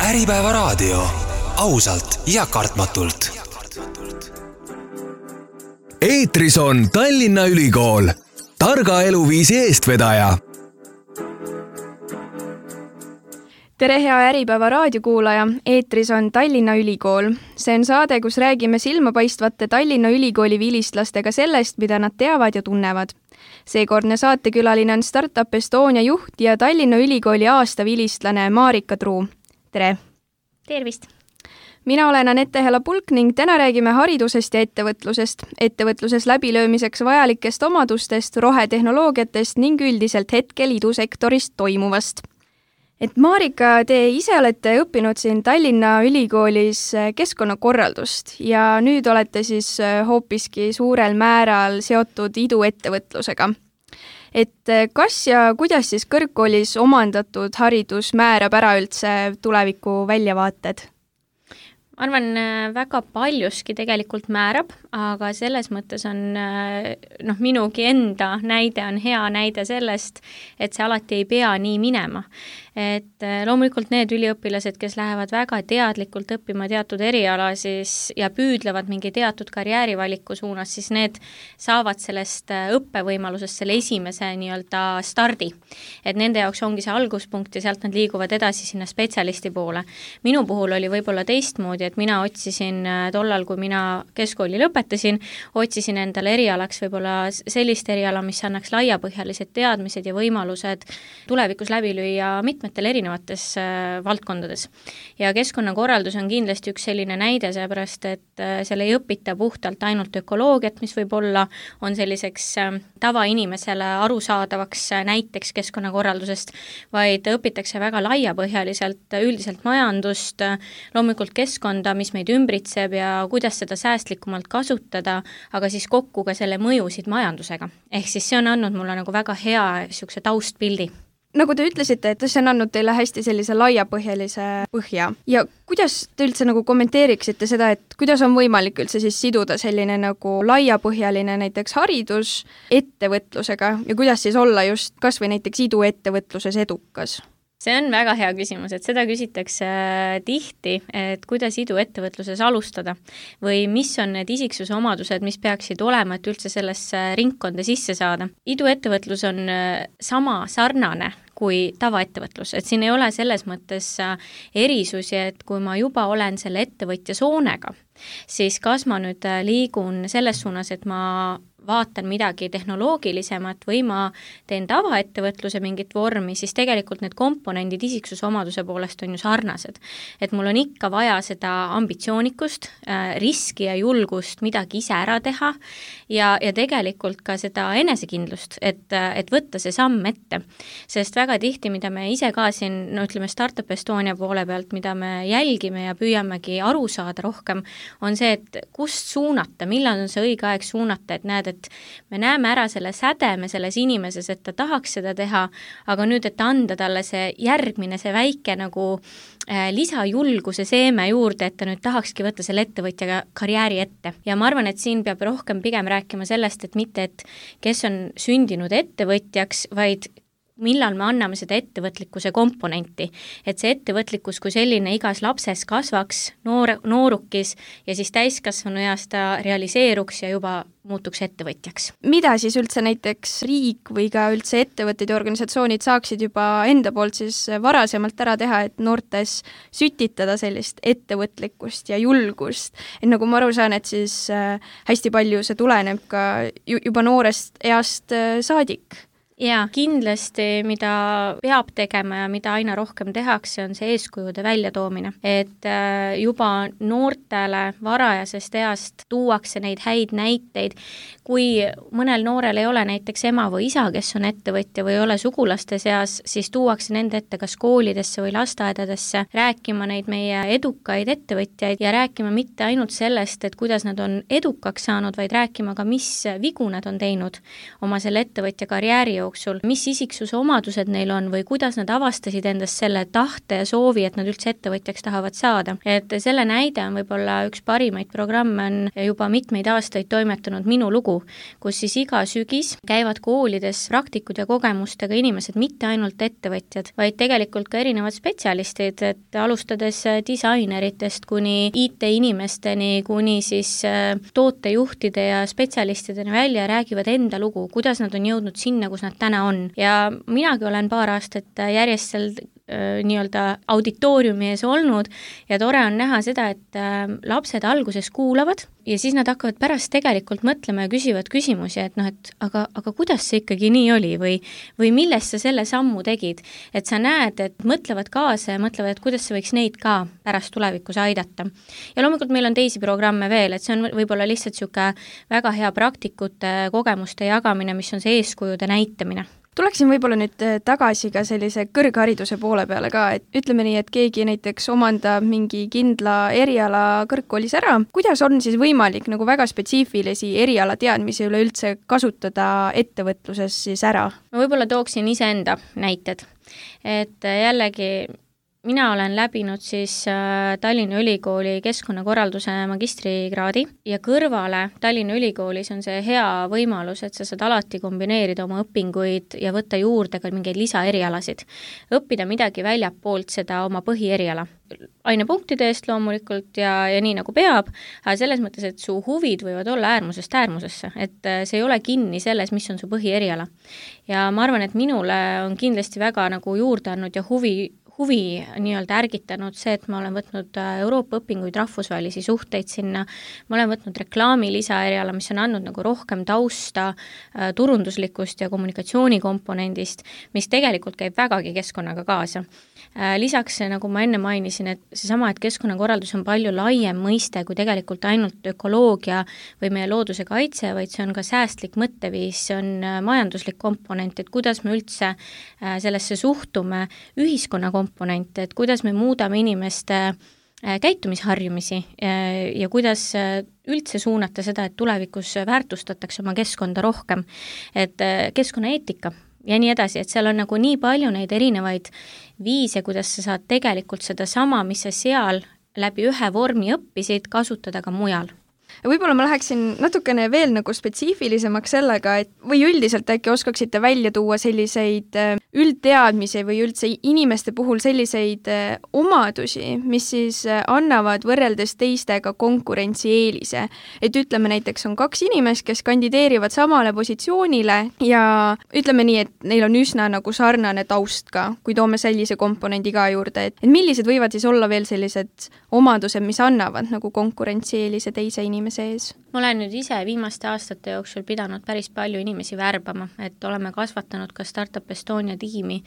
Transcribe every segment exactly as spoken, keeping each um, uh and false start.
Äripäeva raadio. Ausalt ja kartmatult. Eetris on Tallinna Ülikool. Targa eluviisi eestvedaja. Tere hea Äripäeva raadiokuulaja, eetris on Tallinna Ülikool. See on saade, kus räägime silmapaistvate Tallinna Ülikooli vilistlastega sellest, mida nad teavad ja tunnevad. Seekordne saatekülaline on Startup Estonia juht ja Tallinna Ülikooli aasta vilistlane Marika Truu. Tere! Tervist! Mina olen Anette Hela-Pulk ning täna räägime haridusest ja ettevõtlusest, ettevõtluses läbilöömiseks vajalikest omadustest, rohetehnoloogiatest ning üldiselt hetkel idusektorist toimuvast. Et Marika, te ise olete õppinud siin Tallinna Ülikoolis keskkonnakorraldust ja nüüd olete siis hoopiski suurel määral seotud iduettevõtlusega. Et kas ja kuidas siis kõrgkoolis omandatud haridus määrab ära üldse tuleviku väljavaated? Ma arvan, väga paljuski tegelikult määrab, aga selles mõttes on, noh, minugi enda näide on hea näide sellest, et see alati ei pea nii minema. Et loomulikult need üliõpilased, kes lähevad väga teadlikult õppima teatud eriala siis, ja püüdlevad mingi teatud karjäärivaliku suunas, siis need saavad sellest õppevõimalusest selle esimese nii-öelda stardi. Et nende jaoks ongi see alguspunkt ja sealt nad liiguvad edasi sinna spetsialisti poole. Minu puhul oli võib-olla teistmoodi, et mina otsisin tollal, kui mina keskkooli lõpetasin, otsisin endale erialaks võib-olla sellist eriala, mis annaks laiapõhjalised teadmised ja võimalused tulevikus läbi lüüa mitmetel erinevates äh, valdkondades. Ja keskkonnakorraldus on kindlasti üks selline näide, seepärast, et äh, selle ei õpita puhtalt ainult ökoloogiat, mis võib-olla on selliseks äh, tavainimesele arusaadavaks äh, näiteks keskkonnakorraldusest, vaid õpitakse väga laiapõhjaliselt üldiselt majandust, äh, loomulikult keskkonda, mis meid ümbritseb ja kuidas seda säästlikumalt kasutada, aga siis kokku ka selle mõjusid majandusega. Ehk siis see on andnud mulle nagu väga hea siukse taustpildi. Nagu te ütlesite, et see on andnud teile hästi sellise laiapõhjalise põhja. Ja kuidas te üldse nagu kommenteeriksite seda, et kuidas on võimalik üldse siis siduda selline nagu laiapõhjaline näiteks haridus ettevõtlusega ja kuidas siis olla just kas või näiteks iduettevõtluses edukas? See on väga hea küsimus, et seda küsitakse tihti, et kuidas iduettevõtluses alustada või mis on need isiksuse omadused, mis peaksid olema, et üldse sellesse ringkonda sisse saada. Iduettevõtlus on sama sarnane kui tavaettevõtlus, et siin ei ole selles mõttes erisusi, et kui ma juba olen selle ettevõtja soonega, siis kas ma nüüd liigun selles suunas, et ma vaatan midagi tehnoloogilisemat või ma teen tavaettevõtluse mingit vormi, siis tegelikult need komponendid isiksuse omaduse poolest on ju sarnased. Et mul on ikka vaja seda ambitsioonikust, riski ja julgust midagi ise ära teha ja, ja tegelikult ka seda enesekindlust, et, et võtta see samm ette. Sest väga tihti, mida me ise ka siin, no ütleme Startup Estonia poole pealt, mida me jälgime ja püüamegi aru saada rohkem, on see, et kust suunata, millal on see õige aeg suunata, et näed, et me näeme ära selle sädeme selles inimeses, et ta tahaks seda teha, aga nüüd, et anda talle see järgmine, see väike nagu äh, lisajulguse seeme juurde, et ta nüüd tahakski võtta selle ettevõtjaga karjääri ette. Ja ma arvan, et siin peab rohkem pigem rääkima sellest, et mitte, et kes on sündinud ettevõtjaks, vaid millal me anname seda ettevõtlikkuse komponenti, et see ettevõtlikkus kui selline igas lapses kasvaks, noor, noorukis ja siis täiskasvanu eas ta realiseeruks ja juba muutuks ettevõtjaks. Mida siis üldse näiteks riik või ka üldse ettevõtted ja organisatsioonid saaksid juba enda poolt siis varasemalt ära teha, et noortes sütitada sellist ettevõtlikkust ja julgust? Et nagu ma aru saan, et siis hästi palju see tuleneb ka juba noorest east saadik. Ja kindlasti, mida peab tegema ja mida aina rohkem tehakse, on see eeskujude väljatoomine. Et juba noortele varajasest east tuuakse neid häid näiteid. Kui mõnel noorel ei ole näiteks ema või isa, kes on ettevõtja või ei ole sugulaste seas, siis tuuakse nende ette kas koolidesse või lasteaedadesse rääkima neid meie edukaid ettevõtjaid ja rääkima mitte ainult sellest, et kuidas nad on edukaks saanud, vaid rääkima ka, mis vigu nad on teinud oma selle ettevõtja karjääri jooksul jooksul, mis isiksuse omadused neil on või kuidas nad avastasid endast selle tahte ja soovi, et nad üldse ettevõtjaks tahavad saada. Et selle näide on võib-olla üks parimaid programme, on juba mitmeid aastaid toimetanud Minu lugu, kus siis iga sügis käivad koolides praktikud ja kogemustega inimesed, mitte ainult ettevõtjad, vaid tegelikult ka erinevad spetsialistid, et alustades disaineritest kuni I T-inimesteni, kuni siis tootejuhtide ja spetsialistideni välja räägivad enda lugu, kuidas nad on jõudnud sinna, kus nad täna on. Ja minagi olen paar aastat järjest seal nii-öelda auditooriumi ees olnud ja tore on näha seda, et lapsed alguses kuulavad ja siis nad hakkavad pärast tegelikult mõtlema ja küsivad küsimusi, et noh, et aga, aga kuidas see ikkagi nii oli või, või millest sa selle sammu tegid, et sa näed, et mõtlevad kaasa ja mõtlevad, et kuidas see võiks neid ka pärast tulevikus aidata. Ja loomulikult meil on teisi programme veel, et see on võib-olla lihtsalt niisugune väga hea praktikute kogemuste jagamine, mis on see eeskujude näitamine. Tuleksin võib-olla nüüd tagasi ka sellise kõrghariduse poole peale ka, et ütleme nii, et keegi näiteks omandab mingi kindla eriala kõrgkoolis ära. Kuidas on siis võimalik nagu väga spetsiifilisi eriala teadmisi üleüldse kasutada ettevõtluses siis ära? Ma võib-olla tooksin iseenda näited, et jällegi mina olen läbinud siis Tallinna Ülikooli keskkonnakorralduse magistrikraadi ja kõrvale Tallinna Ülikoolis on see hea võimalus, et sa saad alati kombineerida oma õpinguid ja võtta juurde ka mingeid lisaerialasid. Õppida midagi väljapoolt seda oma põhieriala. Ainepunktide eest loomulikult ja, ja nii nagu peab, aga selles mõttes, et su huvid võivad olla äärmusest äärmusesse, et see ei ole kinni selles, mis on su põhieriala. Ja ma arvan, et minule on kindlasti väga nagu juurde andnud ja huvi huvi nii-öelda ärgitanud see, et ma olen võtnud Euroopa õpinguid, rahvusvahelisi suhteid sinna, ma olen võtnud reklaami lisaeriala, mis on andnud nagu rohkem tausta turunduslikust ja kommunikatsioonikomponendist, mis tegelikult käib vägagi keskkonnaga kaasa. Lisaks, nagu ma enne mainisin, et seesama, et keskkonnakorraldus on palju laiem mõiste kui tegelikult ainult ökoloogia või meie looduse kaitse, vaid see on ka säästlik mõtteviis, see on majanduslik komponent, et kuidas me üldse sellesse suhtume ühiskonna komponente, et kuidas me muudame inimeste käitumisharjumisi ja kuidas üldse suunata seda, et tulevikus väärtustatakse oma keskkonda rohkem, et keskkonnaeetika ja nii edasi, et seal on nagu nii palju neid erinevaid viise, kuidas sa saad tegelikult seda sama, mis sa seal läbi ühe vormi õppisid, kasutada ka mujal. Võib-olla ma läheksin natukene veel nagu spetsiifilisemaks sellega, et või üldiselt äkki oskaksite välja tuua selliseid üldteadmisi või üldse inimeste puhul selliseid omadusi, mis siis annavad võrreldes teistega konkurentsieelise. Et ütleme näiteks on kaks inimest, kes kandideerivad samale positsioonile ja ütleme nii, et neil on üsna nagu sarnane taust ka, kui toome sellise komponendi ka juurde. Et millised võivad siis olla veel sellised omadused, mis annavad nagu konkurentsieelise teise inimese sees? Ma olen nüüd ise viimaste aastate jooksul pidanud päris palju inimesi värbama, et oleme kasvatanud ka Startup Estonia tiimi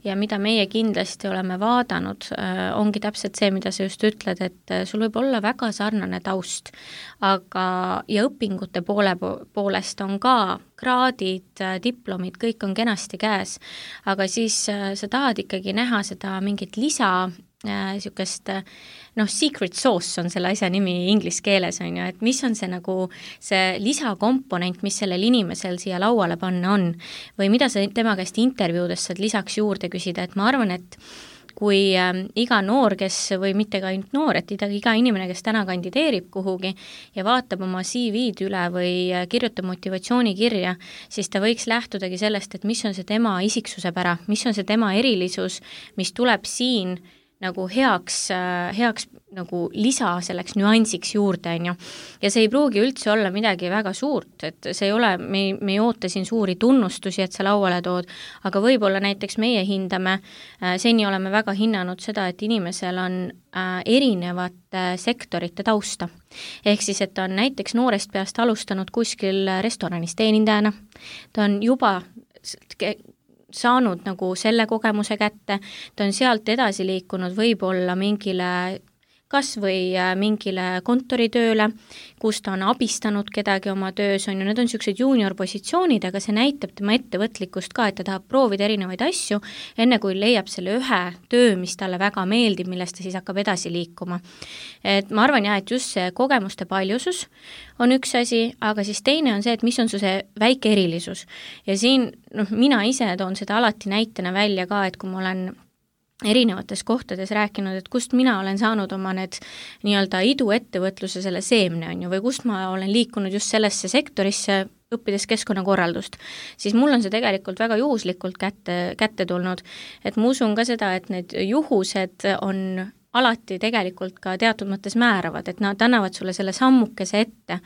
ja mida meie kindlasti oleme vaadanud, ongi täpselt see, mida sa just ütled, et sul võib olla väga sarnane taust, aga ja õpingute poole poolest on ka kraadid, diplomid, kõik on kenasti käes, aga siis sa tahad ikkagi näha seda mingit lisa niisugust, noh, secret sauce on selle asja nimi inglis keeles, on ju, et mis on see nagu see lisakomponent, mis sellel inimesel siia lauale panna on või mida sa tema käest intervjuudes saad lisaks juurde küsida, et ma arvan, et kui äh, iga noor, kes või mitte ka ainult noor, et iga, iga inimene, kes täna kandideerib kuhugi ja vaatab oma C V-d üle või äh, kirjutab motivatsioonikirja, siis ta võiks lähtudagi sellest, et mis on see tema isiksuse pära, mis on see tema erilisus, mis tuleb siin nagu heaks, heaks nagu lisa selleks nüansiks juurde, on ju. Ja see ei pruugi üldse olla midagi väga suurt, et see ei ole, me, me ei oota siin suuri tunnustusi, et sa lauale tood, aga võib-olla näiteks meie hindame, seni oleme väga hinnanud seda, et inimesel on erinevate sektorite tausta. Ehk siis, et ta on näiteks noorest peast alustanud kuskil restoranis teenindajana, ta on juba saanud nagu selle kogemuse kätte, ta on sealt edasi liikunud võib-olla mingile kas või mingile kontoritööle, kus ta on abistanud kedagi oma töös, on ju, need on niisugused junior positsioonid, aga see näitab tema ettevõtlikkust ka, et ta tahab proovida erinevaid asju, enne kui leiab selle ühe töö, mis talle väga meeldib, millest ta siis hakkab edasi liikuma. Et ma arvan jah, et just see kogemuste paljusus on üks asi, aga siis teine on see, et mis on su see väike erilisus. Ja siin noh, mina ise toon seda alati näitena välja ka, et kui ma olen erinevates kohtades rääkinud, et kust mina olen saanud oma need nii-öelda iduettevõtluse selle seemne on ju, või kust ma olen liikunud just sellesse sektorisse, õppides keskkonnakorraldust, siis mul on see tegelikult väga juhuslikult kätte, kätte tulnud, et ma usun ka seda, et need juhused on alati tegelikult ka teatud mõttes määravad, et nad annavad sulle selle sammukese ette.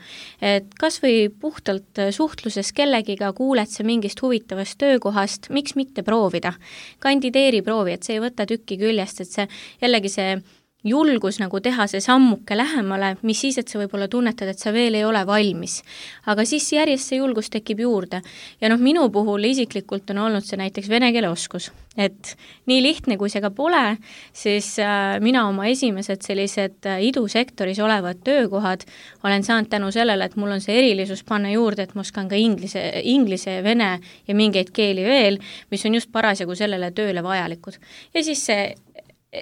Et kas või puhtalt suhtluses kellegiga kuuled sa mingist huvitavast töökohast, miks mitte proovida? Kandideeri proovi, et see ei võta tükki küljest, et see jällegi see julgus nagu teha see sammuke lähemale, mis siis, et sa võib-olla tunnetad, et sa veel ei ole valmis. Aga siis järjest see julgus tekib juurde. Ja noh, minu puhul isiklikult on olnud see näiteks vene keele oskus. Et nii lihtne, kui see ka pole, siis äh, mina oma esimesed sellised äh, idusektoris olevad töökohad olen saanud tänu sellele, et mul on see erilisus panna juurde, et ma oskan ka inglise, inglise, vene ja mingeid keeli veel, mis on just parasjagu sellele tööle vajalikud. Ja siis see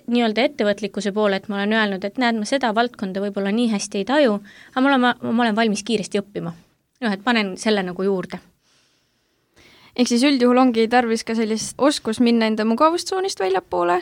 nii-öelda ettevõtlikkuse poole, et ma olen öelnud, et näed, ma seda valdkonda võib-olla nii hästi ei taju, aga ma olen, ma olen valmis kiiresti õppima. Noh, et panen selle nagu juurde. Ehk siis üldjuhul ongi tarvis ka sellist oskus minna enda mugavustsoonist väljapoole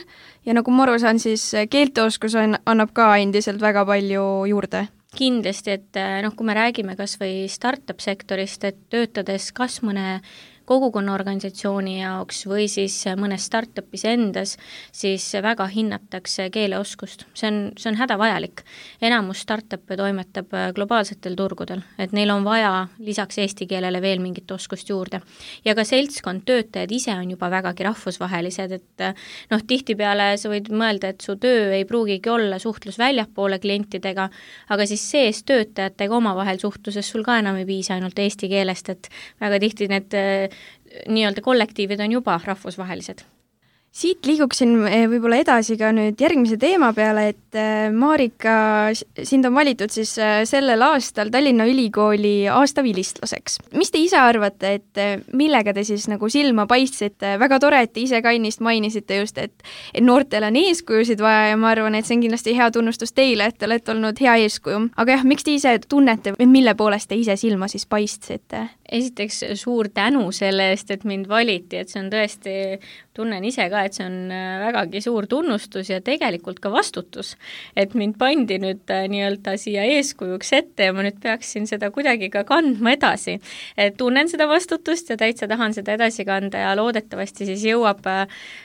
ja nagu ma aru saan, siis keelteoskus on, annab ka endiselt väga palju juurde. Kindlasti, et noh, kui me räägime kas või startup sektorist, et töötades kas mõne kogukonnaorganisatsiooni jaoks või siis mõnes startupis endas, siis väga hinnatakse keeleoskust. See on, see on hädavajalik. Enamus startup'e toimetab globaalsetel turgudel, et neil on vaja lisaks eesti keelele veel mingit oskust juurde. Ja ka seltskond töötajad ise on juba vägagi rahvusvahelised, et noh, tihtipeale sa võid mõelda, et su töö ei pruugigi olla suhtlus väljapoole klientidega, aga siis sees töötajatega omavahel suhtluses sul ka enam ei piisa ainult eesti keelest, et väga tihti need nii-öelda kollektiivid on juba rahvusvahelised. Siit liiguksin võib-olla edasi ka nüüd järgmise teema peale, et Marika, sind on valitud siis sellel aastal Tallinna Ülikooli aastavilistlaseks. Mis te ise arvate, et millega te siis nagu silma paistsite? Väga tore, et te ise ka ennist mainisite just, et, et noortel on eeskujusid vaja ja ma arvan, et see on kindlasti hea tunnustus teile, et te olete olnud hea eeskuju. Aga jah, miks te ise tunnete, mille poolest te ise silma siis paistsite? Esiteks suur tänu selle eest, et mind valiti, et see on tõesti, tunnen ise ka, et see on vägagi suur tunnustus ja tegelikult ka vastutus, et mind pandi nüüd nii-öelda siia eeskujuks ette ja ma nüüd peaksin seda kuidagi ka kandma edasi. Et tunnen seda vastutust ja täitsa tahan seda edasi kanda ja loodetavasti siis jõuab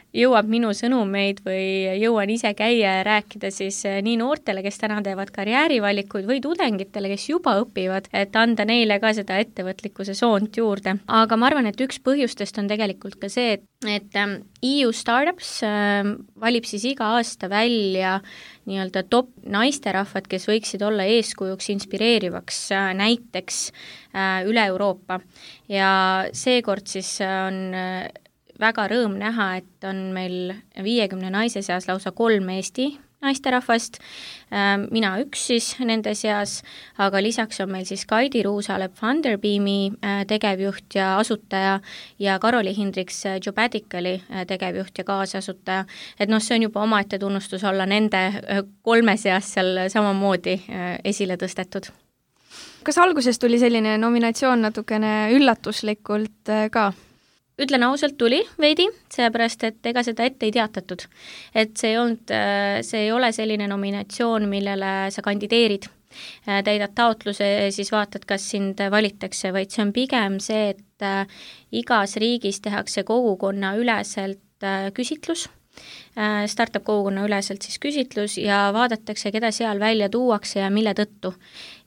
jõuab minu sõnumeid või jõuan ise käia ja rääkida siis nii noortele, kes täna teevad karjäärivalikuid või tudengitele, kes juba õpivad, et anda neile ka seda ettevõtlikkuse soont juurde. Aga ma arvan, et üks põhjustest on tegelikult ka see, et, et E U Startups valib siis iga aasta välja nii-öelda top naisterahvad, kes võiksid olla eeskujuks inspireerivaks näiteks üle Euroopa. Ja seekord siis on väga rõõm näha, et on meil viiekümne naise seas lausa kolm Eesti naisterahvast, mina üks siis nende seas, aga lisaks on meil siis Kaidi Ruusalep Funderbeami tegevjuht ja asutaja ja Karoli Hindriks Jobadicali tegevjuht ja kaasasutaja. Et noh, see on juba omaette tunnustus olla nende kolme seas seal samamoodi esile tõstetud. Kas alguses tuli selline nominatsioon natukene üllatuslikult ka? Ütlen ausalt tuli veidi, seepärast, et ega seda ette ei teatatud. Et see ei, olnud, see ei ole selline nominatsioon, millele sa kandideerid. Täidad taotluse, siis vaatad, kas sind valitakse, vaid see on pigem see, et igas riigis tehakse kogukonna üleselt küsitlus, startup kogukonna üleselt siis küsitlus ja vaadatakse, keda seal välja tuuakse ja mille tõttu.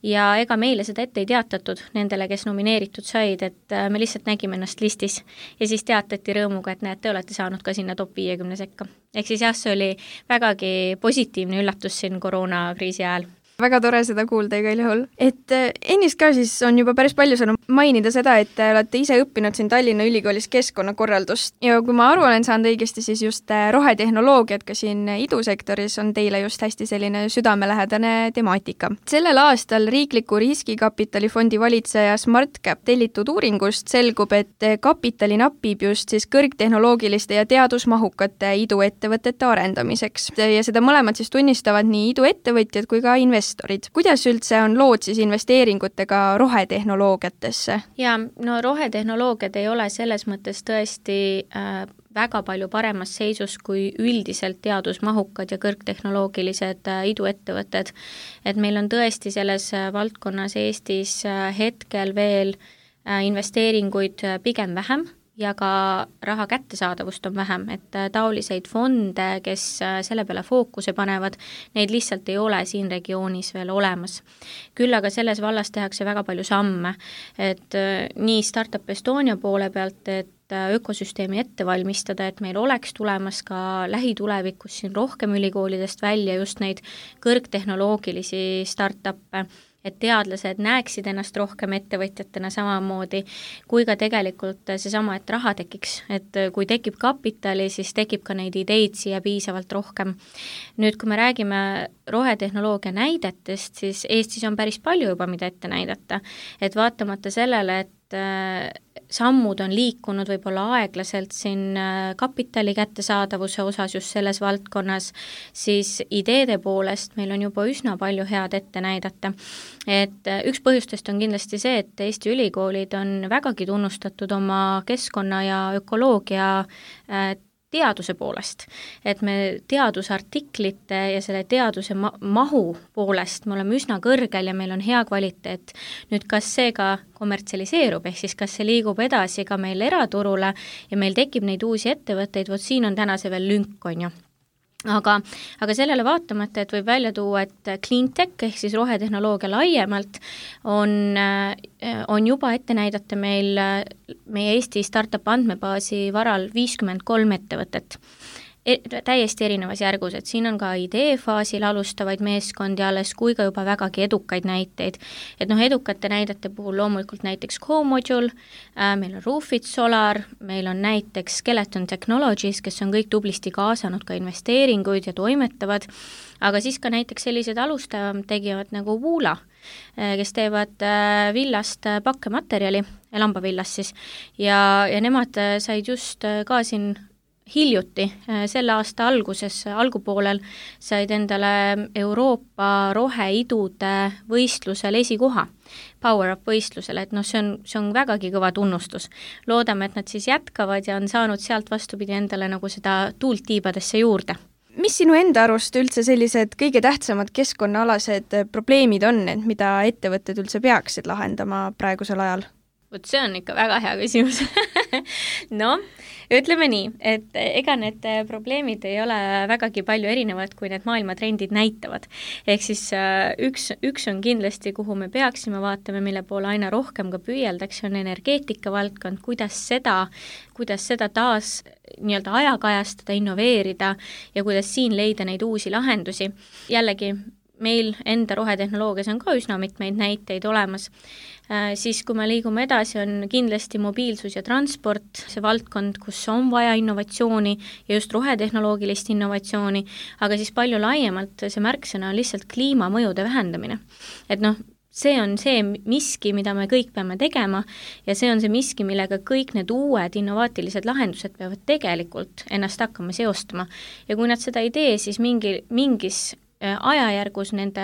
Ja ega meile seda ette ei teatatud nendele, kes nomineeritud said, et me lihtsalt nägime ennast listis ja siis teatati rõõmuga, et näed, te olete saanud ka sinna top viiekümne sekka. Ehk siis jah, see oli vägagi positiivne üllatus siin koroonakriisi ajal. väga tore seda kuulda igal juhul. Et ennist ka siis on juba päris palju saanud mainida seda, et te olete ise õppinud siin Tallinna Ülikoolis keskkonnakorraldust ja kui ma aru olen saanud õigesti, siis just rohetehnoloogiad ka siin idusektoris on teile just hästi selline südamelähedane temaatika. Sellel aastal riikliku riskikapitalifondi valitseja SmartCap tellitud uuringust selgub, et kapitali napib just siis kõrgtehnoloogiliste ja teadusmahukate iduettevõtete arendamiseks ja seda mõlemad siis tunnistavad nii iduettevõtjad kui ka investorid. Kuidas üldse on lood siis investeeringutega rohetehnoloogiatesse? Ja, no rohetehnoloogiad ei ole selles mõttes tõesti äh, väga palju paremas seisus kui üldiselt teadusmahukad ja kõrgtehnoloogilised äh, iduettevõtted. Et meil on tõesti selles äh, valdkonnas Eestis äh, hetkel veel äh, investeeringuid äh, pigem vähem ja ka raha kättesaadavust on vähem, et taoliseid fonde, kes selle peale fookuse panevad, neid lihtsalt ei ole siin regioonis veel olemas. Küll aga selles vallas tehakse väga palju samme, et nii Startup Estonia poole pealt, et ökosüsteemi ette valmistada, et meil oleks tulemas ka lähitulevikus siin rohkem ülikoolidest välja just neid kõrgtehnoloogilisi startup'e, et teadlased näeksid ennast rohkem ettevõtjatena samamoodi, kui ka tegelikult seesama, et raha tekiks, et kui tekib kapitali, siis tekib ka neid ideid siia piisavalt rohkem. Nüüd, kui me räägime rohetehnoloogia näidetest, siis Eestis on päris palju juba, mida ette näidata, et vaatamata sellele, et sammud on liikunud võib-olla aeglaselt siin kapitali kättesaadavuse osas just selles valdkonnas, siis ideede poolest meil on juba üsna palju head ette näidata. Et üks põhjustest on kindlasti see, et Eesti ülikoolid on vägagi tunnustatud oma keskkonna ja ökoloogia teaduse poolest, et me teadusartiklite ja selle teaduse ma- mahu poolest me oleme üsna kõrgel ja meil on hea kvaliteet. Nüüd, kas see ka kommertsialiseerub, ehk siis kas see liigub edasi ka meil eraturule ja meil tekib neid uusi ettevõtteid, vot siin on täna see veel lünk, on ju. Aga, aga sellele vaatamata, et võib välja tuua, et cleantech ehk siis rohetehnoloogia laiemalt on, on juba ette näidata meil meie Eesti startup andmebaasi varal viiskümmend kolm ettevõtet. E, täiesti erinevas järgus, et siin on ka ideefaasil alustavaid meeskondi alles kui ka juba vägagi edukaid näiteid. Et noh, edukate näidete puhul loomulikult näiteks Co-Module, äh, meil on Roofit Solar, meil on näiteks Skeleton Technologies, kes on kõik tublisti kaasanud ka investeeringuid ja toimetavad, aga siis ka näiteks sellised alustavam tegivad nagu Woola, kes teevad villast pakkematerjali, lambavillast siis, ja, ja nemad said just ka siin hiljuti, selle aasta alguses, algupoolel said endale Euroopa roheidude võistlusel esikoha, Power Up võistlusel, et noh, see on, see on vägagi kõva tunnustus. Loodame, et nad siis jätkavad ja on saanud sealt vastupidi endale nagu seda tuult tiibadesse juurde. Mis sinu enda arust üldse sellised kõige tähtsamad keskkonnaalased probleemid on, et mida ettevõtted üldse peaksid lahendama praegusel ajal? Vot see on ikka väga hea küsimus. No, ütleme nii, et ega need probleemid ei ole vägagi palju erinevad, kui need maailmatrendid näitavad. Ehk siis üks, üks on kindlasti, kuhu me peaksime vaatama, mille poole aina rohkem ka püüeldakse, on energeetika valdkond, kuidas seda, kuidas seda taas nii-öelda ajakajastada, innoveerida ja kuidas siin leida neid uusi lahendusi. Jällegi, meil enda rohetehnoloogias on ka üsna mitmeid näiteid olemas. Äh, siis kui me liigume edasi, on kindlasti mobiilsus ja transport, see valdkond, kus on vaja innovatsiooni ja just rohetehnoloogilist innovatsiooni, aga siis palju laiemalt see märksõna on lihtsalt kliimamõjude vähendamine. Et noh, see on see miski, mida me kõik peame tegema ja see on see miski, millega kõik need uued innovaatilised lahendused peavad tegelikult ennast hakkama seostama. Ja kui nad seda ei tee, siis mingi, mingis ajajärgus nende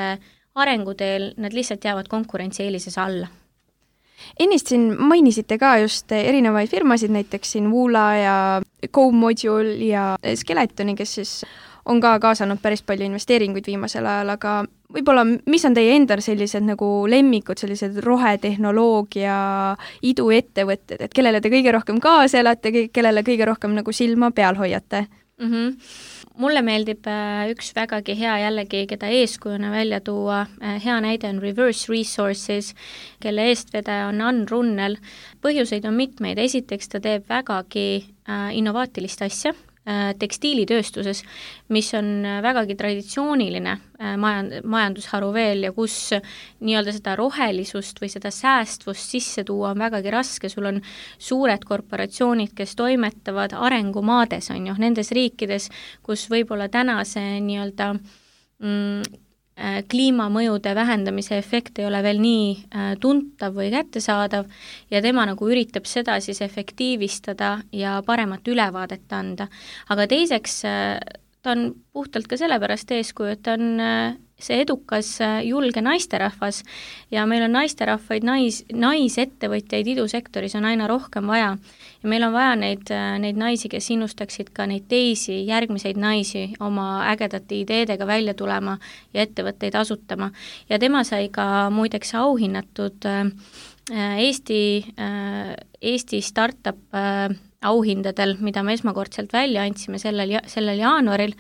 arenguteel nad lihtsalt jäävad konkurentsieelises alla. Ennist siin mainisite ka just erinevaid firmasid, näiteks siin Woola ja Co-Module ja Skeletoni, kes siis on ka kaasanud päris palju investeeringuid viimasel ajal, aga võib-olla mis on teie endal sellised nagu lemmikud, sellised rohetehnoloogia iduettevõtted, et kellele te kõige rohkem kaasa elate, kellele kõige rohkem nagu silma peal hoiate? Mm-hmm. Mulle meeldib üks vägagi hea jällegi, keda eeskujuna välja tuua. Hea näide on Reverse Resources, kelle eestvedaja on Ann Runnel. Põhjuseid on mitmeid. Esiteks ta teeb vägagi innovaatilist asja. tekstiilitööstuses, mis on vägagi traditsiooniline majand- majandusharu veel ja kus nii-öelda seda rohelisust või seda säästvust sisse tuua on vägagi raske, sul on suured korporatsioonid, kes toimetavad arengumaades, on ju, nendes riikides, kus võib-olla täna see nii-öelda mm, kliimamõjude vähendamise efekt ei ole veel nii tuntav või kättesaadav ja tema nagu üritab seda siis efektiivistada ja paremat ülevaadet anda. Aga teiseks ta on puhtalt ka sellepärast eeskuju, et ta on see edukas julge naisterahvas ja meil on naisterahvaid, nais, naisettevõtjaid idusektoris on aina rohkem vaja. Ja meil on vaja neid, neid naisi, kes innustaksid ka neid teisi, järgmiseid naisi oma ägedate ideedega välja tulema ja ettevõtteid asutama. Ja tema sai ka muideks auhinnatud Eesti, Eesti startup auhindadel, mida me esmakordselt välja andsime sellel, sellel jaanuaril.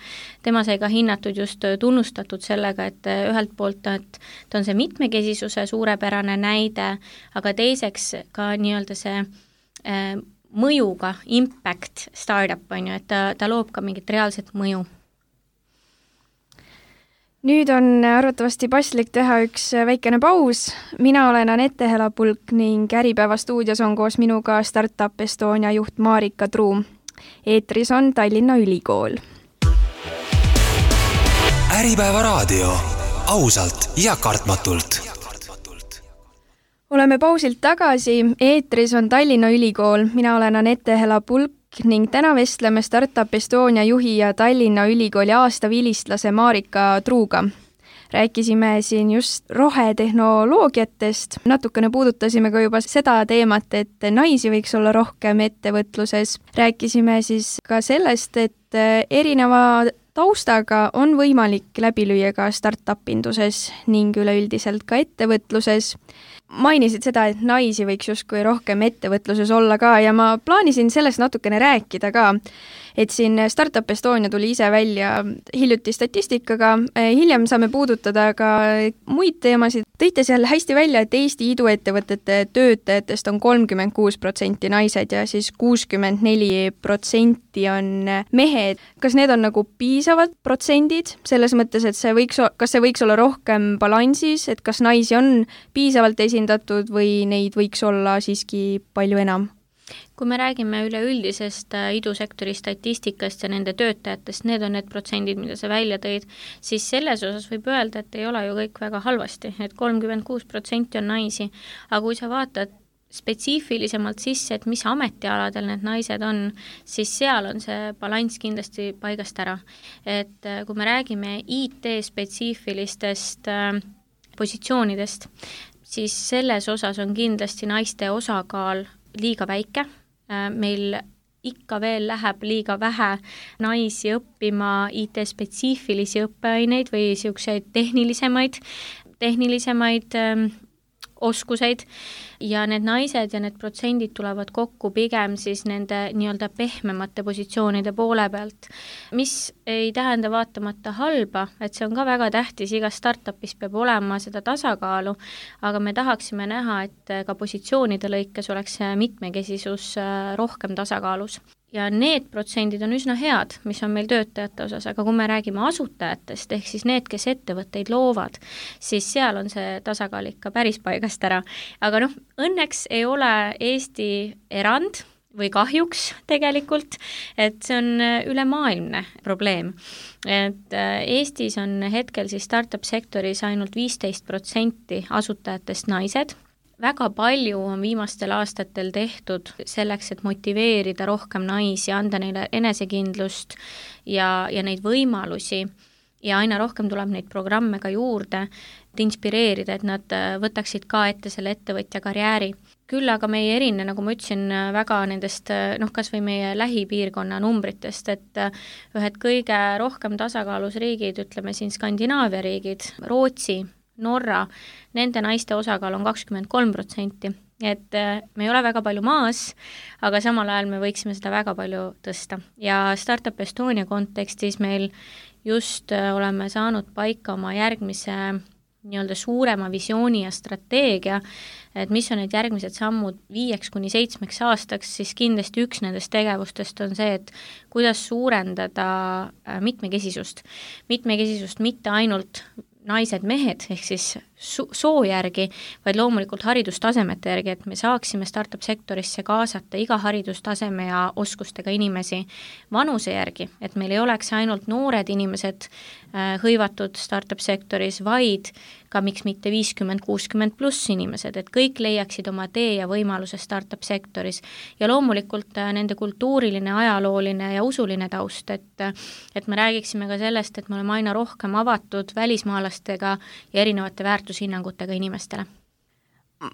Tema sai ka hinnatud just tunnustatud sellega, et ühelt poolt et ta on see mitmekesisuse suurepärane näide, aga teiseks ka nii-öelda see äh, mõjuga impact startup, on ju, et ta, ta loob ka mingit reaalset mõju. Nüüd on arvatavasti paslik teha üks väikene paus. Mina olen Anette Helapulk ning Äripäeva stuudios on koos minuga Startup Estonia juht Marika Truum. Eetris on Tallinna Ülikool. Äripäeva raadio. Ausalt ja kartmatult. Oleme pausilt tagasi. Eetris on Tallinna Ülikool. Mina olen Anette Helapulk ning täna vestleme Startup Estonia juhi ja Tallinna Ülikooli aastavilistlase Marika Truuga. Rääkisime siin just rohetehnoloogiatest, natukene puudutasime ka juba seda teemat, et naisi võiks olla rohkem ettevõtluses. Rääkisime siis ka sellest, et erineva taustaga on võimalik läbi lüüa ka startup-induses ning üleüldiselt ka ettevõtluses. Mainisid seda, et naisi võiks justkui rohkem ettevõtluses olla ka ja ma plaanisin sellest natukene rääkida ka, et siin Startup Estonia tuli ise välja hiljuti statistikaga, hiljem saame puudutada ka muid teemasid. Tõite seal hästi välja, et Eesti iduettevõtete töötajatest on kolmkümmend kuus protsenti naised ja siis kuuskümmend neli protsenti on mehed. Kas need on nagu piisavad protsendid selles mõttes, et see võiks, kas see võiks olla rohkem balansis, et kas naisi on piisavalt esindatud või neid võiks olla siiski palju enam? Kui me räägime üleüldisest idusektori statistikast ja nende töötajatest, need on need protsendid, mida sa välja tõid, siis selles osas võib öelda, et ei ole ju kõik väga halvasti, et kolmkümmend kuus protsenti on naisi, aga kui sa vaatad spetsiifilisemalt sisse, et mis ametialadel need naised on, siis seal on see balanss kindlasti paigast ära. Et kui me räägime I T-spetsiifilistest positsioonidest, siis selles osas on kindlasti naiste osakaal liiga väike. Meil ikka veel läheb liiga vähe naisi õppima I T-spetsiifilisi õppeaineid või siukseid tehnilisemaid, tehnilisemaid ähm, oskuseid ja need naised ja need protsendid tulevad kokku pigem siis nende nii-öelda pehmemate positsioonide poole pealt, mis ei tähenda vaatamata halba, et see on ka väga tähtis, igas startupis peab olema seda tasakaalu, aga me tahaksime näha, et ka positsioonide lõikes oleks mitmekesisus rohkem tasakaalus. Ja need protsendid on üsna head, mis on meil töötajate osas, aga kui me räägime asutajatest, ehk siis need, kes ettevõtteid loovad, siis seal on see tasakaal ikka päris paigast ära. Aga noh, õnneks ei ole Eesti erand või kahjuks tegelikult, et see on ülemaailmne probleem. Et Eestis on hetkel siis startup sektoris ainult viisteist protsenti asutajatest naised. Väga palju on viimastel aastatel tehtud selleks, et motiveerida rohkem naisi, anda neile enesekindlust ja, ja neid võimalusi ja aina rohkem tuleb neid programme ka juurde, et inspireerida, et nad võtaksid ka ette selle ettevõtja karjääri. Küll aga meie erine, nagu ma ütlesin, väga nendest, noh, kas või meie lähipiirkonna numbritest, et ühed kõige rohkem tasakaalus riigid, ütleme siin Skandinaavia riigid, Rootsi, Norra, nende naiste osakaal on kakskümmend kolm protsenti, et me ei ole väga palju maas, aga samal ajal me võiksime seda väga palju tõsta. Ja Startup Estonia kontekstis meil just oleme saanud paika oma järgmise nii-öelda suurema visiooni ja strateegia, et mis on need järgmised sammud viieks kuni seitsmeks aastaks, siis kindlasti üks nendest tegevustest on see, et kuidas suurendada mitmekesisust. Mitmekesisust mitte ainult naised-mehed, ehk siis soo järgi, vaid loomulikult haridustasemete järgi, et me saaksime startup-sektorisse kaasata iga haridustaseme ja oskustega inimesi vanuse järgi, et meil ei oleks ainult noored inimesed äh, hõivatud startup-sektoris, vaid ka miks mitte viiskümmend kuuskümmend pluss inimesed, et kõik leiaksid oma tee ja võimaluse startup-sektoris. Ja loomulikult äh, nende kultuuriline, ajalooline ja usuline taust, et, et me räägiksime ka sellest, et me oleme aina rohkem avatud välismaalastega ja erinevate väärtushinnangutega inimestele.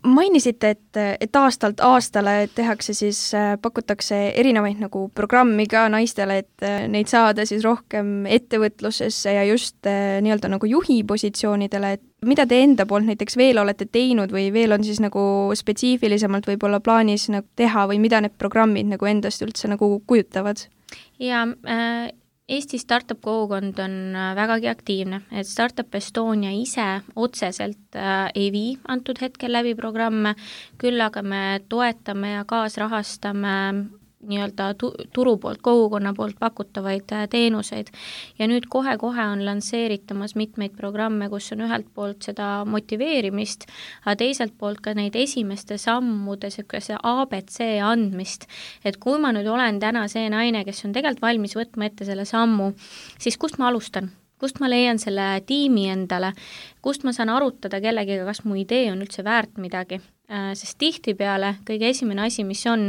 Mainisite, et, et aastalt aastale tehakse siis, pakutakse erinevaid nagu programmi ka naistele, et neid saada siis rohkem ettevõtlusesse ja just nii-öelda nagu juhi positsioonidele, et mida te enda poolt näiteks veel olete teinud või veel on siis nagu spetsiifilisemalt võib-olla plaanis nagu teha või mida need programmid nagu endast üldse nagu kujutavad? Ja äh... Eesti startup kogukond on vägagi aktiivne, et Startup Estonia ise otseselt äh, ei vii antud hetkel läbi programme, küll aga me toetame ja kaasrahastame nii-öelda turu poolt, kogukonna poolt pakutavaid teenuseid. Ja nüüd kohe-kohe on lansseeritamas mitmeid programme, kus on ühelt poolt seda motiveerimist, aga teiselt poolt ka neid esimeste sammude see A B C andmist. Et kui ma nüüd olen täna see naine, kes on tegelikult valmis võtma ette selle sammu, siis kust ma alustan? Kust ma leian selle tiimi endale? Kust ma saan arutada kellegiga, kas mu idee on üldse väärt midagi? Sest tihtipeale kõige esimene asi, mis on,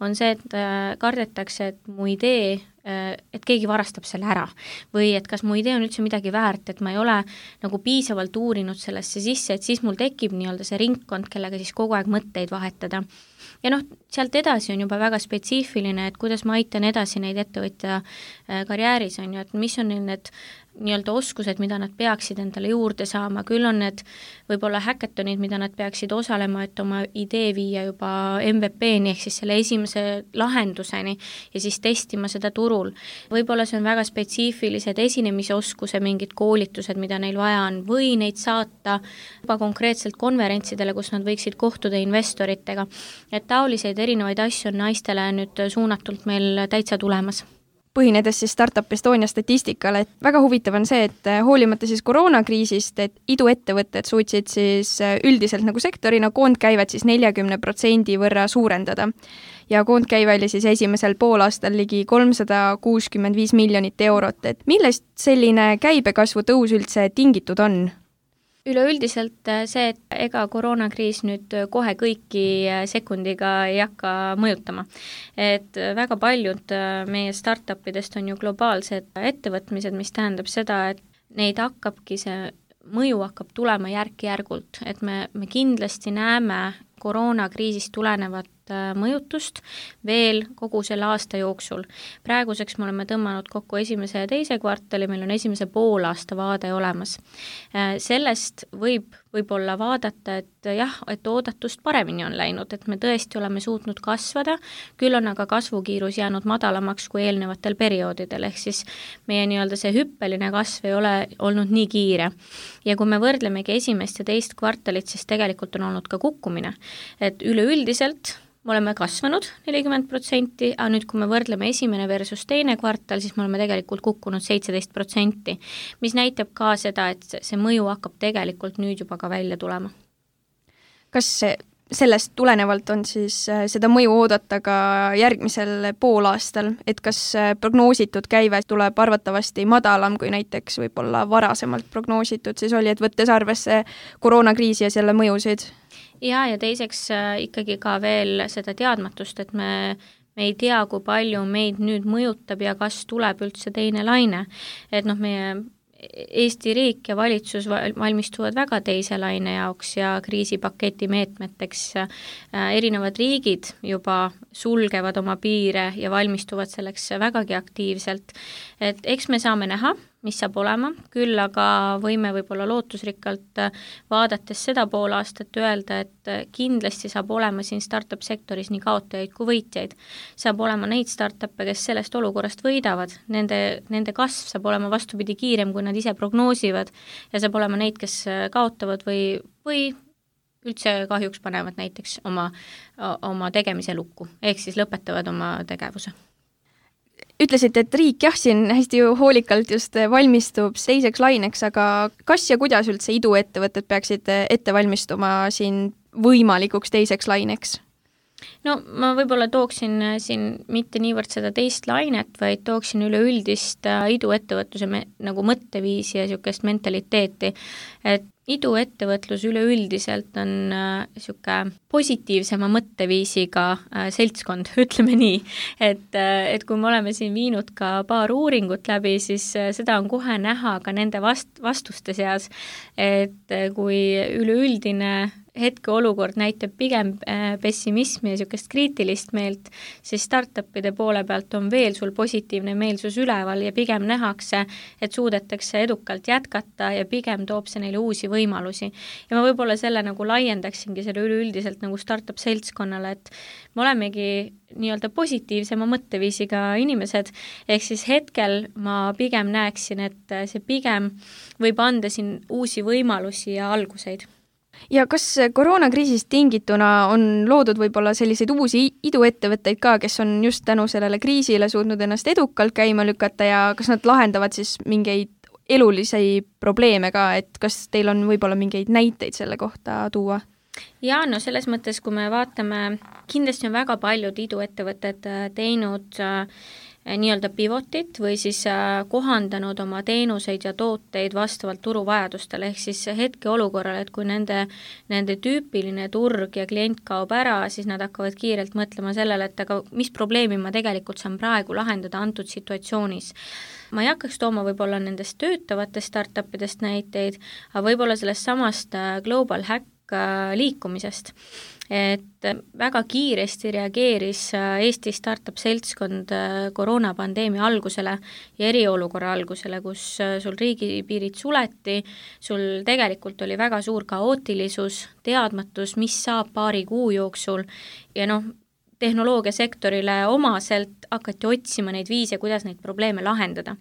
on see, et kardetakse, et mu idee, et keegi varastab selle ära või et kas mu idee on üldse midagi väärt, et ma ei ole nagu piisavalt uurinud sellesse sisse, et siis mul tekib nii-öelda see ringkond, kellega siis kogu aeg mõtteid vahetada. Ja noh, sealt edasi on juba väga spetsiifiline, et kuidas ma aitan edasi neid ettevõtja karjääris, on ju, et mis on need nii-öelda oskused, mida nad peaksid endale juurde saama, küll on need võib-olla hackathonid, mida nad peaksid osalema, et oma idee viia juba M V P-ni ehk siis selle esimese lahenduseni ja siis testima seda turul. Võib-olla see on väga spetsiifilised esinemisoskused, mingid koolitused, mida neil vaja on, või neid saata juba konkreetselt konverentsidele, kus nad võiksid kohtuda investoritega. Et taoliseid erinevaid asju on naistele nüüd suunatult meil täitsa tulemas. Põhinedes siis Startup Estonia statistikale, et väga huvitav on see, et hoolimata siis koroonakriisist, et iduettevõtted suutsid siis üldiselt nagu sektorina koondkäivet siis neljakümne protsendi võrra suurendada. Ja koondkäive oli siis esimesel poolaastal ligi kolmsada kuuskümmend viis miljonit eurot, et millest selline käibekasvu tõus üldse tingitud on? Üleüldiselt see, et ega koroonakriis nüüd kohe kõiki sekundiga ei hakka mõjutama. Et väga paljud meie startupidest on ju globaalsed ettevõtmised, mis tähendab seda, et neid hakkabki see mõju hakkab tulema järk-järgult, et me, me kindlasti näeme koroonakriisist tulenevat mõjutust veel kogu selle aasta jooksul. Praeguseks me oleme tõmmanud kokku esimese ja teise kvartali, meil on esimese poolaasta vaade olemas. Sellest võib võib-olla vaadata, et jah, et oodatust paremini on läinud, et me tõesti oleme suutnud kasvada, küll on aga kasvukiirus jäänud madalamaks kui eelnevatel perioodidel, ehk siis meie nii-öelda see hüppeline kasv ei ole olnud nii kiire. Ja kui me võrdlemegi esimest ja teist kvartalit, siis tegelikult on olnud ka kukkumine, et üleüldiselt me oleme kasvanud nelikümmend protsenti, aga nüüd kui me võrdleme esimene versus teine kvartal, siis me oleme tegelikult kukkunud seitseteist protsenti, mis näitab ka seda, et see mõju hakkab tegelikult nüüd juba ka välja tulema. Kas sellest tulenevalt on siis seda mõju oodata ka järgmisel poolaastal, et kas prognoositud käive tuleb arvatavasti madalam kui näiteks võib-olla varasemalt prognoositud, siis oli, et võttes arvesse koroonakriisi ja selle mõjusid? Ja, ja teiseks ikkagi ka veel seda teadmatust, et me, me ei tea, kui palju meid nüüd mõjutab ja kas tuleb üldse teine laine. Et noh, meie Eesti riik ja valitsus valmistuvad väga teise laine jaoks ja kriisipaketi meetmeteks. Erinevad riigid juba sulgevad oma piire ja valmistuvad selleks vägagi aktiivselt. Et eks me saame näha, mis saab olema, küll aga võime võib-olla lootusrikkalt vaadates seda pool aastat öelda, et kindlasti saab olema siin startup sektoris nii kaotajaid kui võitjaid. Saab olema neid startup'e, kes sellest olukorrast võidavad, nende, nende kasv saab olema vastupidi kiirem, kui nad ise prognoosivad ja saab olema neid, kes kaotavad või, või üldse kahjuks panevad näiteks oma, oma tegemise lukku, ehk siis lõpetavad oma tegevuse. Ütlesite, et riik jah, siin hästi hoolikalt just valmistub teiseks laineks, aga kas ja kuidas üldse iduettevõtted peaksid ette valmistuma siin võimalikuks teiseks laineks? No ma võib-olla tooksin siin mitte niivõrd seda teist lainet, vaid tooksin üleüldist iduettevõtluse me, nagu mõtteviisi ja niisugust mentaliteeti, et iduettevõtlus üleüldiselt on niisugune positiivsema mõtteviisiga seltskond, ütleme nii, et, et kui me oleme siin viinud ka paar uuringut läbi, siis seda on kohe näha ka nende vast, vastuste seas, et kui üleüldine hetkeolukord näitab pigem pessimismi ja niisugust kriitilist meelt, siis startupide poole pealt on veel sul positiivne meelsus üleval ja pigem nähakse, et suudetakse edukalt jätkata ja pigem toob see neile uusi võimalusi. Ja ma võib-olla selle nagu laiendaksingi selle üleüldiselt nagu startup seltskonnale, et me olemegi nii-öelda positiivsema mõtteviisiga inimesed, ehk siis hetkel ma pigem näeksin, et see pigem võib anda siin uusi võimalusi ja alguseid. Ja kas koroonakriisist tingituna on loodud võib-olla selliseid uusi iduettevõtteid ka, kes on just tänu sellele kriisile suutnud ennast edukalt käima lükata ja kas nad lahendavad siis mingeid elulisi probleeme ka, et kas teil on võib-olla mingeid näiteid selle kohta tuua? Ja no selles mõttes, kui me vaatame, kindlasti on väga paljud iduettevõtted teinud nii-öelda pivotit või siis kohandanud oma teenuseid ja tooteid vastavalt turuvajadustele, ehk siis hetke olukorrale, et kui nende, nende tüüpiline turg ja klient kaob ära, siis nad hakkavad kiirelt mõtlema sellele, et aga mis probleemi ma tegelikult saan praegu lahendada antud situatsioonis. Ma ei hakkaks tooma võib-olla nendest töötavatest startupidest näiteid, aga võib-olla sellest samast Global Hack liikumisest, et väga kiiresti reageeris Eesti startup seltskond koroonapandeemia algusele ja eriolukorra algusele, kus sul riigipiirid suleti, sul tegelikult oli väga suur kaootilisus, teadmatus, mis saab paari kuu jooksul ja noh, tehnoloogiasektorile omaselt hakati otsima neid viise, kuidas neid probleeme lahendada.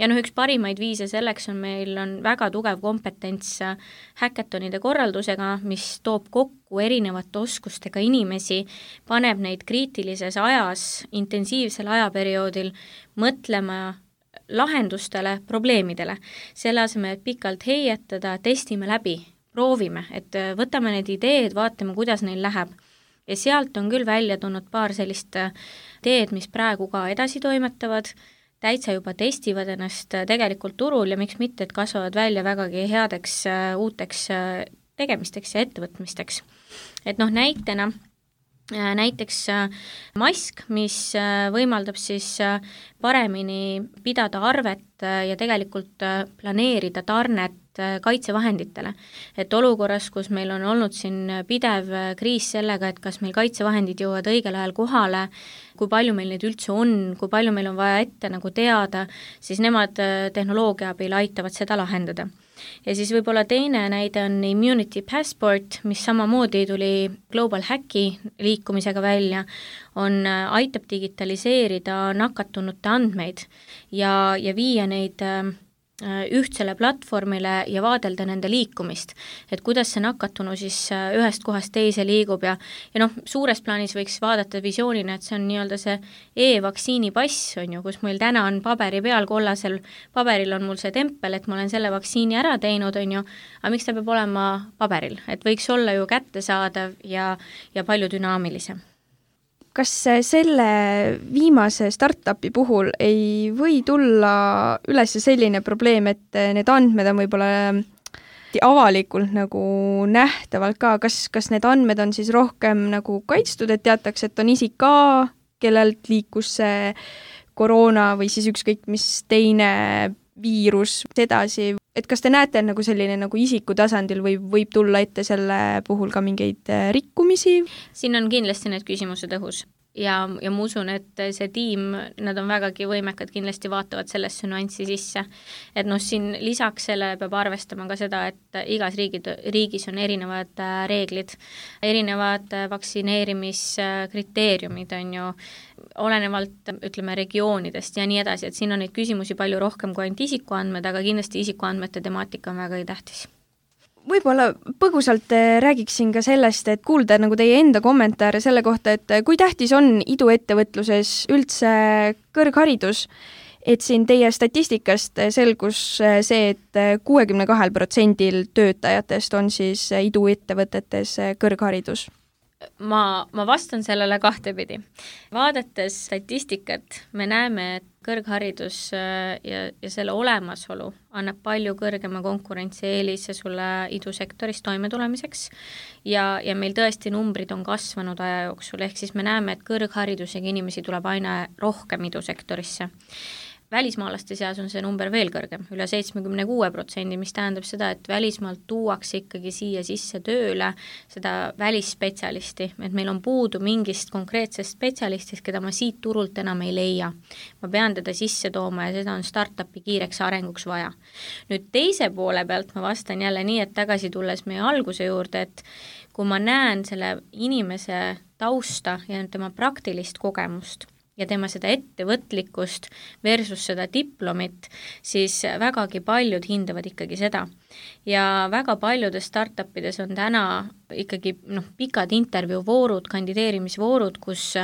Ja noh, üks parimaid viise selleks on meil on väga tugev kompetents häkatonide korraldusega, mis toob kokku erinevate oskustega inimesi, paneb neid kriitilises ajas, intensiivsel ajaperioodil mõtlema lahendustele, probleemidele. Selle asemel, et pikalt heietada, testime läbi, proovime, et võtame need ideed, vaatame, kuidas neil läheb. Ja sealt on küll välja tulnud paar sellist ideed, mis praegu ka edasi toimetavad, täitsa juba testivad ennast tegelikult turul ja miks mitte, et kasvavad välja vägagi headeks uuteks tegemisteks ja ettevõtmisteks. Et noh, näitena näiteks mask, mis võimaldab siis paremini pidada arvet ja tegelikult planeerida tarnet kaitsevahenditele. Et olukorras, kus meil on olnud siin pidev kriis sellega, et kas meil kaitsevahendid jõuavad õigel ajal kohale, kui palju meil neid üldse on, kui palju meil on vaja ette nagu teada, siis nemad tehnoloogia abil aitavad seda lahendada. Ja siis võib-olla teine näide on Immunity Passport, mis samamoodi tuli Global Hacki liikumisega välja, on, aitab digitaliseerida nakatunute andmeid ja, ja viia neid ühtsele platvormile ja vaadelda nende liikumist, et kuidas see nakatunu siis ühest kohast teise liigub ja, ja noh, suures plaanis võiks vaadata visioonina, et see on nii-öelda see e-vaktsiini pass, on ju, kus meil täna on paberi peal kollasel, paberil on mul see tempel, et ma olen selle vaktsiini ära teinud, on ju, aga miks ta peab olema paberil, et võiks olla ju kättesaadav ja, ja palju dünaamilisem. Kas selle viimase startupi puhul ei või tulla üles selline probleem, et need andmed on võib-olla avalikult nagu nähtavalt ka, kas, kas need andmed on siis rohkem nagu kaitstud, et teatakse, et on isik ka, kellelt liikus see koroona või siis ükskõik mis teine viirus edasi, et kas te näete nagu selline nagu isiku tasandil või võib tulla ette selle puhul ka mingeid rikkumisi? Siin on kindlasti need küsimused õhus. ja, ja ma usun, et see tiim, nad on vägagi võimekad, kindlasti vaatavad sellesse nüanssi sisse. Et noh, siin lisaks sellele peab arvestama ka seda, et igas riigid, riigis on erinevad reeglid, erinevad vaktsineerimiskriteeriumid on ju, olenevalt, ütleme, regioonidest ja nii edasi, et siin on neid küsimusi palju rohkem kui ainult isikuandmed, aga kindlasti isikuandmete temaatika on väga tähtis. Võib-olla põgusalt räägiksin ka sellest, et kuulda nagu teie enda kommentaare selle kohta, et kui tähtis on iduettevõtluses üldse kõrgharidus, et siin teie statistikast selgus see, et kuuekümne kahel protsendil töötajatest on siis iduettevõtetes kõrgharidus. Ma, ma vastan sellele kahtepidi. Vaadates statistikat, me näeme, et kõrgharidus ja, ja selle olemasolu annab palju kõrgema konkurentsieelise sulle idusektoris toimetulemiseks ja, ja meil tõesti numbrid on kasvanud aja jooksul, ehk siis me näeme, et kõrgharidusega inimesi tuleb aina rohkem idusektorisse. Välismaalaste seas on see number veel kõrgem, üle seitsmekümne kuue protsendi, mis tähendab seda, et välismaalt tuuakse ikkagi siia sisse tööle seda välisspetsialisti, et meil on puudu mingist konkreetsest spetsialistist, keda ma siit turult enam ei leia. Ma pean teda sisse tooma ja seda on startupi kiireks arenguks vaja. Nüüd teise poole pealt ma vastan jälle nii, et tagasi tulles meie alguse juurde, et kui ma näen selle inimese tausta ja tema praktilist kogemust, ja tema seda ettevõtlikkust versus seda diplomit, siis vägagi paljud hindavad ikkagi seda. Ja väga paljudes startupides on täna ikkagi noh, pikad intervjuuvoorud, kandideerimisvoorud, kus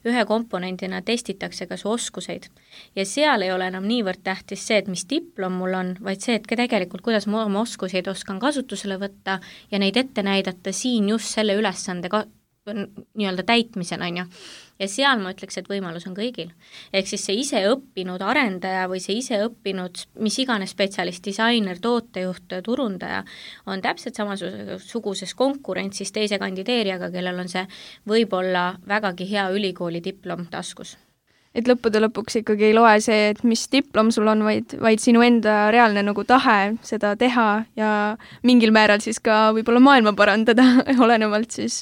ühe komponendina testitakse ka su oskuseid. Ja seal ei ole enam niivõrd tähtis see, et mis diplom mul on, vaid see, et tegelikult kuidas ma oma oskuseid oskan kasutusele võtta ja neid ette näidata siin just selle ülesande ka nii-öelda täitmisel, on ju. Ja seal ma ütleks, et võimalus on kõigil. Ehk siis see ise õppinud arendaja või see ise õppinud mis iganes spetsialist, disainer, tootejuht, turundaja on täpselt samasuguses konkurentsis teise kandideerijaga, kellel on see võib-olla vägagi hea ülikooli diplom taskus. Et lõppude lõpuks ikkagi ei loe see, et mis diplom sul on, vaid, vaid sinu enda reaalne nagu tahe seda teha ja mingil määral siis ka võib-olla maailma parandada, olenevalt siis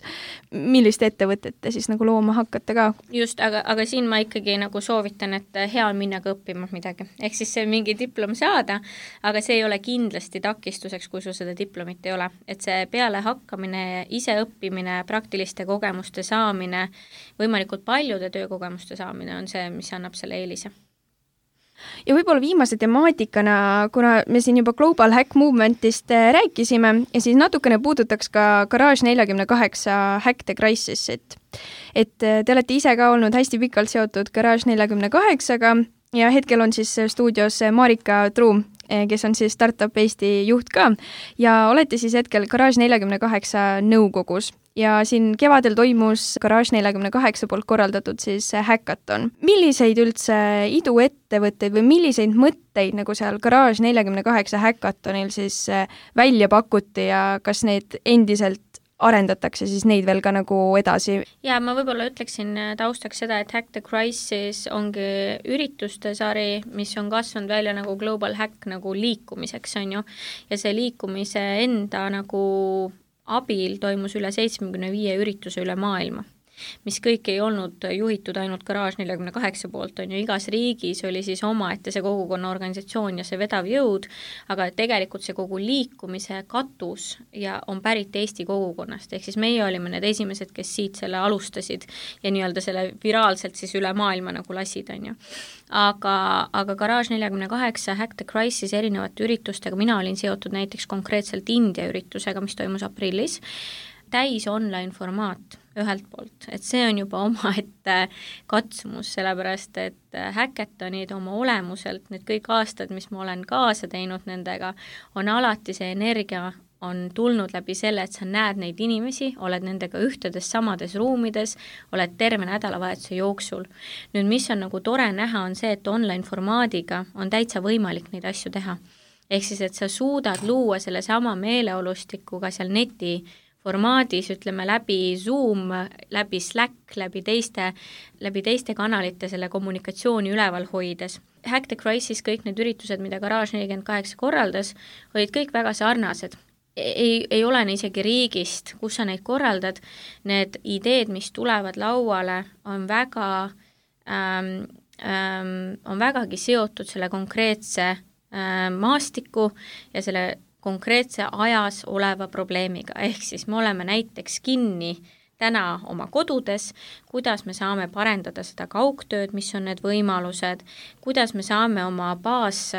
millist ettevõtet te siis nagu looma hakkate ka. Just, aga, aga siin ma ikkagi nagu soovitan, et hea on minna ka õppima midagi. Ehk siis see mingi diplom saada, aga see ei ole kindlasti takistuseks, kui sul seda diplomit ei ole. Et see peale hakkamine, ise õppimine, praktiliste kogemuste saamine, võimalikult paljude töökogemuste saamine on see, mis annab selle eelise. Ja võib-olla viimase temaatikana, kuna me siin juba Global Hack Movementist rääkisime ja siis natukene puudutaks ka Garage nelikümmend kaheksa Hack the Crisis, et, et te olete ise ka olnud hästi pikalt seotud Garage nelikümmend kaheksaga ja hetkel on siis stuudios Marika Truu, kes on siis Startup Eesti juht ka ja olete siis hetkel Garage nelikümmend kaheksa nõukogus. Ja siin kevadel toimus Garage nelikümmend kaheksa poolt korraldatud siis hackathon. Milliseid üldse iduettevõtteid või milliseid mõtteid nagu seal Garage nelikümmend kaheksa hackathonil siis välja pakuti ja kas need endiselt arendatakse siis neid veel ka nagu edasi? Ja ma võib-olla ütleksin taustaks seda, et Hack the Crisis ongi ürituste sari, mis on kasvanud välja nagu Global Hack nagu liikumiseks, on ju. Ja see liikumise enda nagu abil toimus üle seitsmekümne viie ürituse üle maailma, mis kõik ei olnud juhitud ainult Garage nelikümmend kaheksa poolt, on ju, igas riigis oli siis omaette see kogukonna organisatsioon ja see vedav jõud, aga tegelikult see kogu liikumise katus ja on pärit Eesti kogukonnast, ehk siis meie olime need esimesed, kes siit selle alustasid ja nii-öelda selle viraalselt siis üle maailma nagu lasid, on ju. Aga, aga Garage nelikümmend kaheksa Hack the Crisis erinevate üritustega, mina olin seotud näiteks konkreetselt India üritusega, mis toimus aprillis, täis online formaat ühelt poolt, et see on juba omaette katsumus, sellepärast et hackathonid oma olemuselt, need kõik aastad, mis ma olen kaasa teinud nendega, on alati see energia on tulnud läbi selle, et sa näed neid inimesi, oled nendega ühtedes samades ruumides, oled terve nädalavahetuse jooksul. Nüüd, mis on nagu tore näha, on see, et online formaadiga on täitsa võimalik neid asju teha. Ehk siis, et sa suudad luua selle sama meeleolustikuga seal neti formaadis, ütleme läbi Zoom, läbi Slack, läbi teiste, läbi teiste kanalite selle kommunikatsiooni üleval hoides. Hack the Crisis, kõik need üritused, mida Garage nelikümmend kaheksa korraldas, olid kõik väga sarnased. ei, ei olene isegi riigist, kus sa neid korraldad, need ideed, mis tulevad lauale, on väga ähm, ähm, on vägagi seotud selle konkreetse ähm, maastiku ja selle konkreetse ajas oleva probleemiga, ehk siis me oleme näiteks kinni täna oma kodudes, kuidas me saame parendada seda kaugtööd, mis on need võimalused, kuidas me saame oma baas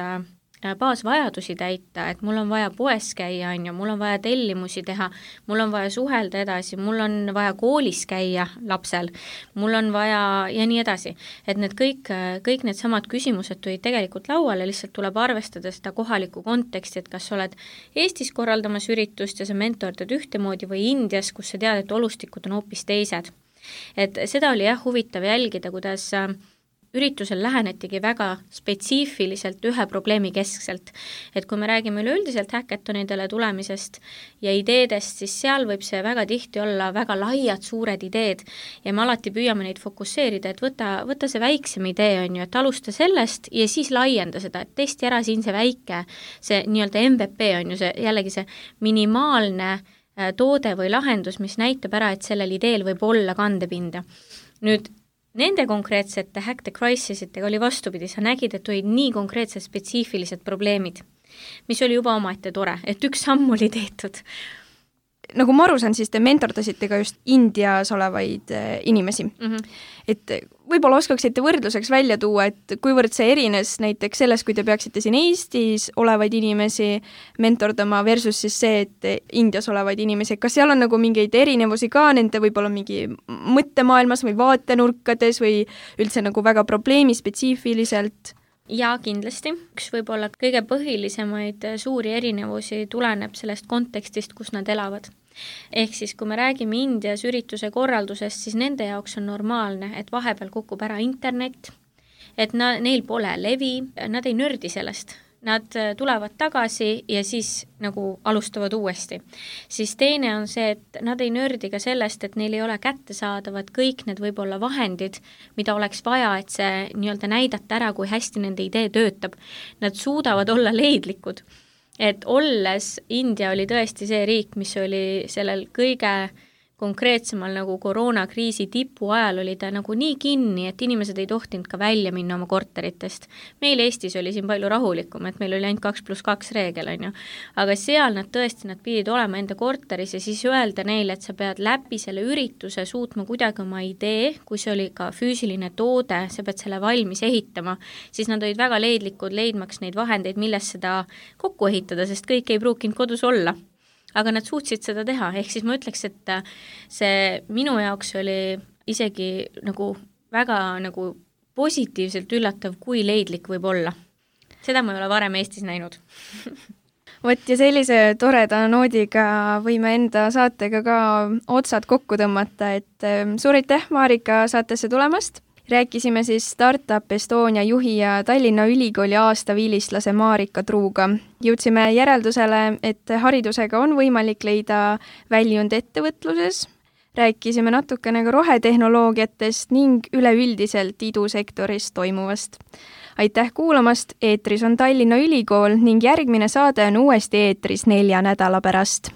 baasvajadusi täita, et mul on vaja poes käia, on ju, mul on vaja tellimusi teha, mul on vaja suhelda edasi, mul on vaja koolis käia lapsel, mul on vaja ja nii edasi. Et need kõik, kõik need samad küsimused tulid tegelikult lauale, lihtsalt tuleb arvestada seda kohalikku konteksti, et kas sa oled Eestis korraldamas üritust ja sa mentordad ühtemoodi või Indias, kus sa tead, et olustikud on hoopis teised. Et seda oli jah huvitav jälgida, kuidas üritusel lähenetigi väga spetsiifiliselt ühe probleemi keskselt. Et kui me räägime üleüldiselt hackathonidele tulemisest ja ideedest, siis seal võib see väga tihti olla väga laiad, suured ideed ja me alati püüame neid fokusseerida, et võta, võta see väiksem idee, on ju, et alusta sellest ja siis laienda seda, et testi ära siin see väike, see nii-öelda M V P on ju see jällegi see minimaalne toode või lahendus, mis näitab ära, et sellel ideel võib olla kandepinda. Nüüd nende konkreetsete Hack the Crisisitega oli vastupidi, sa nägid, et olid nii konkreetsed spetsiifilised probleemid, mis oli juba omaette tore, et üks samm oli tehtud. Nagu ma aru saan, siis te mentordasite ka just Indias olevaid inimesi. Mm-hmm. Et võib-olla oskaksite võrdluseks välja tuua, et kuivõrd see erines näiteks selles, kui te peaksite siin Eestis olevaid inimesi mentordama versus siis see, et Indias olevaid inimesi. Kas seal on nagu mingeid erinevusi ka nende võib-olla mingi mõttemaailmas või vaatenurkades või üldse nagu väga probleemi spetsiifiliselt? Ja kindlasti. Üks võib-olla kõige põhilisemaid suuri erinevusi tuleneb sellest kontekstist, kus nad elavad. Ehk siis, kui me räägime Indias ürituse korraldusest, siis nende jaoks on normaalne, et vahepeal kukub ära internet, et na, neil pole levi, nad ei nördi sellest. Nad tulevad tagasi ja siis nagu alustavad uuesti. Siis teine on see, et nad ei nördi ka sellest, et neil ei ole kättesaadavad kõik need võib-olla vahendid, mida oleks vaja, et see nii-öelda näidata ära, kui hästi nende idee töötab. Nad suudavad olla leidlikud. Et olles India oli tõesti see riik, mis oli sellel kõige konkreetsemal nagu koroonakriisi tipu ajal oli ta nagu nii kinni, et inimesed ei tohtinud ka välja minna oma korteritest. Meil Eestis oli siin palju rahulikum, et meil oli ainult kaks pluss kaks reegel, on ju. Aga seal nad tõesti, nad pidid olema enda korteris ja siis öelda neile, et sa pead läbi selle ürituse suutma kuidagi oma idee, kui see oli ka füüsiline toode, sa pead selle valmis ehitama, siis nad olid väga leidlikud leidmaks neid vahendeid, milles seda kokku ehitada, sest kõik ei pruukinud kodus olla. Aga nad suutsid seda teha, ehk siis ma ütleks, et see minu jaoks oli isegi nagu väga nagu positiivselt üllatav, kui leidlik võib olla. Seda ma ei ole varem Eestis näinud. Vot ja sellise toreda noodiga võime enda saatega ka otsad kokku tõmmata, et suur aitäh, Marika, saatesse tulemast. Rääkisime siis Startup Estonia juhi ja Tallinna Ülikooli aastaviilistlase Marika Truuga. Jõudsime järeldusele, et haridusega on võimalik leida väljund ettevõtluses. Rääkisime natukene ka rohetehnoloogiatest ning üleüldiselt idusektoris toimuvast. Aitäh kuulamast, eetris on Tallinna Ülikool ning järgmine saade on uuesti eetris nelja nädala pärast.